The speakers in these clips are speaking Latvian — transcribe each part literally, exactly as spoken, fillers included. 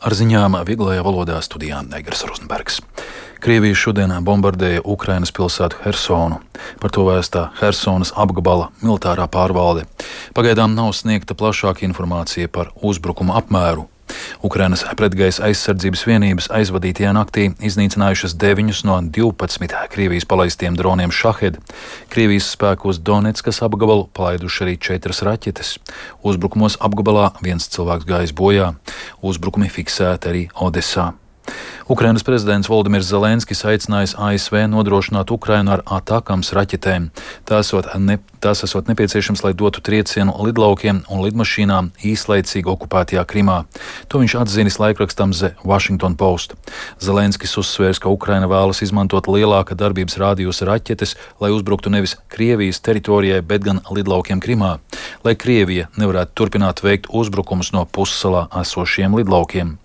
Ar ziņām vieglajā valodā studijā Negras Rozenbergs. Krievija šodien bombardēja Ukrainas pilsētu Hersonu. Par to vēstā Hersonas apgabala militārā pārvalde. Pagaidām nav sniegta plašāka informācija par uzbrukuma apmēru. Ukrainas pretgaisa aizsardzības vienības aizvadītajā naktī iznīcinājušas deviņus no divpadsmit Krievijas palaistiem droniem Šahed. Krievijas spēku uz Donetskas apgabalu palaiduši arī četras raķetes. Uzbrukumos apgabalā viens cilvēks gājis bojā. Uzbrukumi fiksēti arī Odesā. Ukrainas prezidents Voldimirs Zelenskis aicinājis A S V nodrošināt Ukrainu ar atakams raķetēm. Tās esot, ne, tās esot nepieciešams, lai dotu triecienu lidlaukiem un lidmašīnām īslaicīgi okupētajā Krimā. To viņš atzinis laikrakstam The Washington Post. Zelenskis uzsvērs, ka Ukraina vēlas izmantot lielāka darbības rādījusa raķetes, lai uzbruktu nevis Krievijas teritorijai, bet gan lidlaukiem Krimā, lai Krievija nevarētu turpināt veikt uzbrukumus no pussalā esošiem lidlaukiem.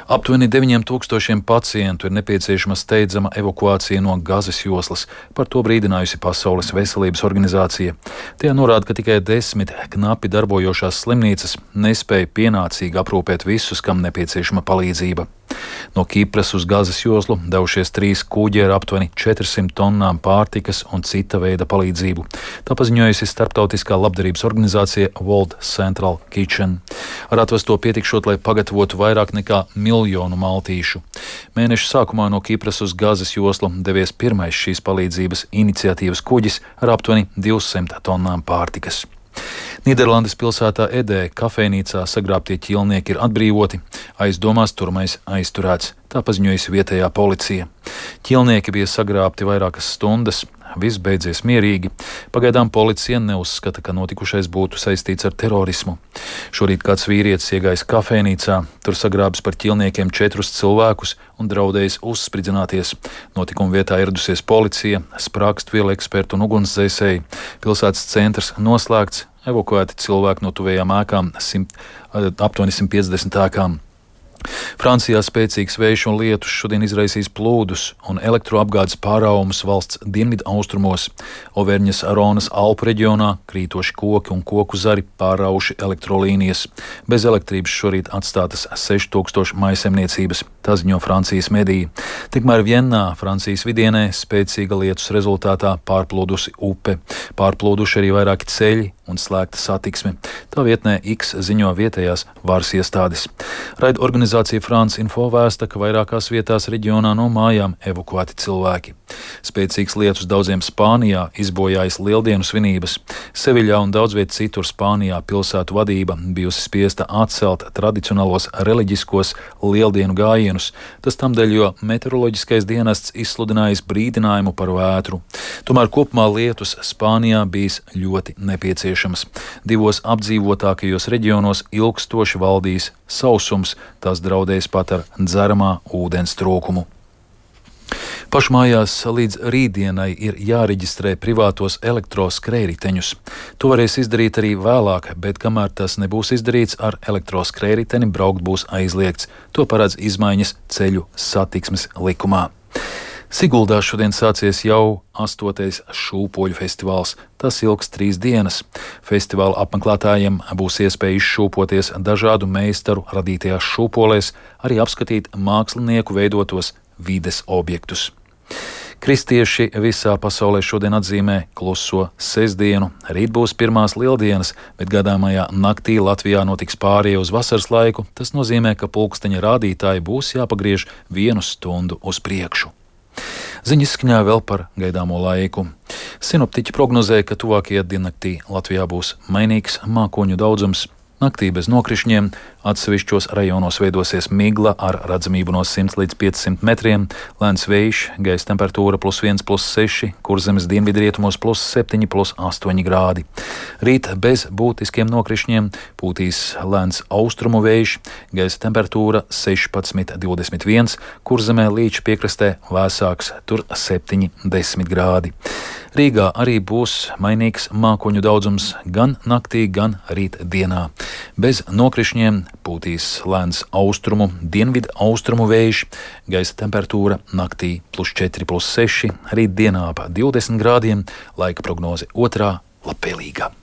Aptuveni deviņiem tūkstošiem pacientu ir nepieciešama steidzama evakuācija no Gazas joslas. Par to brīdinājusi Pasaules veselības organizācija. Tie norāda, ka tikai desmit knapi darbojošās slimnīcas nespēja pienācīgi aprūpēt visus, kam nepieciešama palīdzība. No Kipras uz Gazas joslu devušies trīs kuģi ar aptuveni četrsimt tonnām pārtikas un cita veida palīdzību. Tā paziņojusi starptautiskā labdarības organizācija World Central Kitchen. Ar atvesto pietikšot, lai pagatavotu vairāk nekā miljonu maltīšu. Mēneša sākumā no Kipras uz Gazas joslu devies pirmais šīs palīdzības iniciatīvas kuģis ar aptuveni divsimt tonnām pārtikas. Nīderlandes pilsētā Edē kafejnīcā sagrābtie ķīlnieki ir atbrīvoti, aizdomās turmais aizturēts, tā paziņojusi vietējā policija. Ķīlnieki bija sagrābti vairākas stundas, viss beidzies mierīgi. Pagaidām policija neuzskata, ka notikušais būtu saistīts ar terorismu. Šorīt kāds vīrietis iegājis kafejnīcā, tur sagrābis par ķīlniekiem četrus cilvēkus un draudējis uzspridzināties. Notikuma vietā ieradusies policija, sprākstvielu eksperti un ugunsdzēsēji. Pilsētas centrs noslēgts, evakuēti cilvēki no tuvējām ēkām, simt, aptuveni simt piecdesmit ēkām. Francijā spēcīgs vējš un lietus šodien izraisīs plūdus un elektroapgādes pārāvumus valsts dienvidu austrumos. Overņas Ronas Alpu reģionā krītoši koki un koku zari pārauši elektrolīnijas. Bez elektrības šorīt atstātas seši tūkstoši mājsaimniecības, tā ziņo Francijas mediji. Tikmēr Vienā, Francijas vidienē, spēcīga lietus rezultātā pārplūdusi upe. Pārplūduši arī vairāki ceļi un slēgta satiksme. Tā vietnē X ziņo vietējās varas iestādes. Raida organizācija France Info vēsta, ka vairākās vietās reģionā no mājām evakuēti cilvēki. Spēcīgs lietus daudziem Spānijā izbojājis lieldienu svinības. Seviļā un daudz viet citur Spānijā pilsētu vadība bijusi spiesta atcelt tradicionālos reliģiskos lieldienu gājienus. Tas tamdēļ, jo meteoroloģiskais dienests izsludinājis brīdinājumu par vētru. Tomēr kopumā lietus Spānijā bijis ļoti nepieciešams. Divos apdzīvotākajos reģionos ilgstoši valdīs sausums, tas draudēs pat ar dzeramā ūdens trūkumu. Pašmājās līdz rītdienai ir jāreģistrē privātos elektroskrējriteņus. To varēs izdarīt arī vēlāk, bet kamēr tas nebūs izdarīts, ar elektroskrējriteni braukt būs aizliegts. To paredz izmaiņas ceļu satiksmes likumā. Siguldā šodien sācies jau astotais šūpoļu festivāls. Tas ilgs trīs dienas. Festivāla apmeklētājiem būs iespēja izšūpoties dažādu meistaru radītajās šūpolēs, arī apskatīt mākslinieku veidotos vides objektus. Kristieši visā pasaulē šodien atzīmē kluso sestdienu. Rīt būs pirmās lieldienas, bet gadāmajā naktī Latvijā notiks pārēja uz vasaras laiku. Tas nozīmē, ka pulksteņa rādītāji būs jāpagriež vienu stundu uz priekšu. Ziņas skaņā vēl par gaidāmo laiku. Sinoptiķi prognozē, ka tuvākajā diennaktī Latvijā būs mainīgs mākoņu daudzums. Naktī bez nokrišņiem, atsevišķos rajonos veidosies migla ar redzamību no simts līdz piecsimt metriem, lēns vējš, gaisa temperatūra plus viens, plus seši, Kurzemes dienvidrietumos plus septiņi, plus astoņi grādi. Rīt bez būtiskiem nokrišņiem pūtīs lēns austrumu vējš, gaisa temperatūra sešpadsmit, divdesmit viens, Kurzemē līča piekrastē vēsāks, tur septiņi, desmit grādi. Rīgā arī būs mainīgs mākoņu daudzums gan naktī, gan rīt dienā. Bez nokrišņiem pūtīs lēns austrumu, dienvidu austrumu vējš, gaisa temperatūra naktī plus četri, plus seši, rīt dienā ap divdesmit grādiem, laika prognoze otrā labvēlīga.